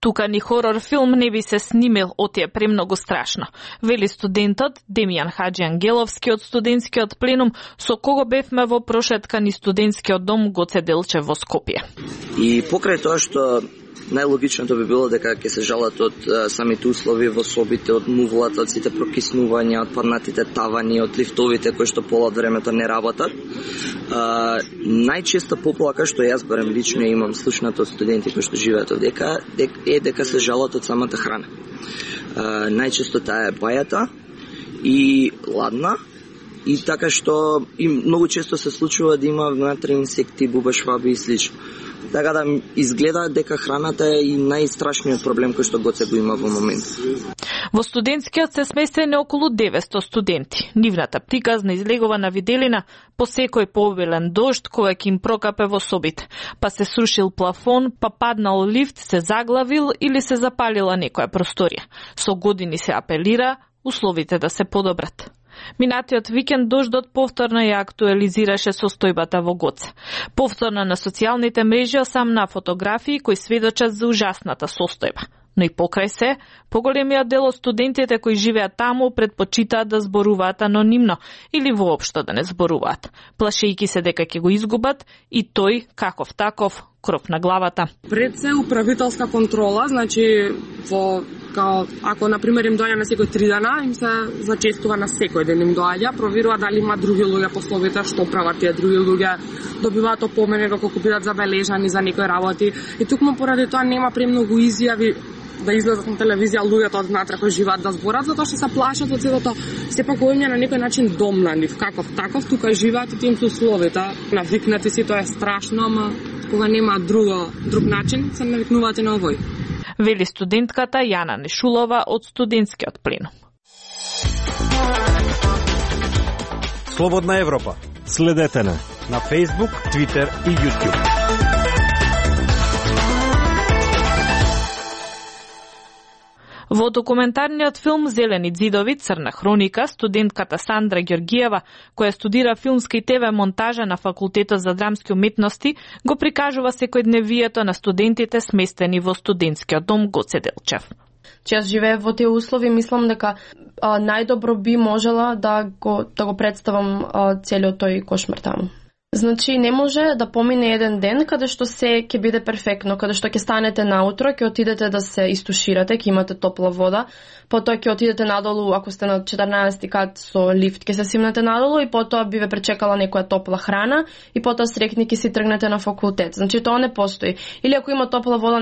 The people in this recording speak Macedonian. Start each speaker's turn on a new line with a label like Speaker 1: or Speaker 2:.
Speaker 1: Тука ни хорор филм не би се снимил, оти е премногу страшно, вели студентот Демјан Хаџиангеловски од студентскиот пленум, со кого бевме во прошетка ни студентскиот дом Гоце Делчев во Скопје.
Speaker 2: И покрај тоа што најлогичното би било дека ќе се жалат од самите услови во собите, од мувлата, од сите прокиснувања, од паднатите тавани, од лифтовите кои што пола од времето не работат. Најчеста поплака што јас барем лично имам слушнато од студенти кои што живеат овдека е дека се жалат од самата храна. Најчесто таа е бајата и ладна, и така што и многу често се случува да има внатре инсекти, бубашваби и слично. Така да изгледа дека храната е и најстрашниот проблем кој што Гоце го има во моментот.
Speaker 1: Во студентскиот се сместени околу 900 студенти. Нивната приказна излегува на виделина по секој пообилен дожд кој ќе им прокапе во собите. Па се срушил плафон, па паднал лифт, се заглавил или се запалила некоја просторија. Со години се апелира условите да се подобрат. Минатиот викенд дождот повторно ја актуализираше состојбата во Гоце. Повторно на социјалните мрежи осамна фотографии кои сведочат за ужасната состојба. Но и покрај се, поголемиот дел од студентите кои живеат таму предпочитаат да зборуваат анонимно или воопшто да не зборуваат, плашејќи се дека ќе го изгубат и тој, каков таков, кров на главата.
Speaker 3: Пред се управителска контрола, значи ако на пример им доаѓа на секој 3 дена, им се зачестува на секој ден им доаѓа, проверува дали има други луѓе по словите, што прават тие други луѓе, добиваат опомени доколку бидат забележани за некои работи. И тукму поради тоа нема премногу изјави да излезат на телевизија луѓето од внатре кои живеат да зборат, затоа што се плашат од сето. Сепак овие на некој начин дом на нив, каков таков, тука живеат и тим со условите. Навикнати си, тоа е страшно, ама кога нема друг начин, се навикнуваат и на овој.
Speaker 1: Вели студентката Јана Нешулова од студентскиот пленум.
Speaker 4: Слободна Европа. Следете на Facebook, Twitter и YouTube.
Speaker 1: Во документарниот филм Зелени ѕидови, црна хроника, студентката Сандра Ѓоргиева, која студира филмска и ТВ монтажа на Факултетот за драмски уметности, го прикажува секојдневието на студентите сместени во студентскиот дом Гоце Делчев.
Speaker 5: Јас живеев во тие услови, мислам дека најдобро би можела да го представам целиот тој кошмар таму. Значи, не може да помине еден ден каде што се ќе биде перфектно, каде што ќе станете наутро, ќе отидете да се истуширате, ќе имате топла вода, потоа ќе отидете надолу, ако сте на 14 кат со лифт, ќе се симнете надолу и потоа би ве пречекала некоја топла храна и потоа срекни ќе си тргнете на факултет. Значи, тоа не постои. Или ако има топла вода,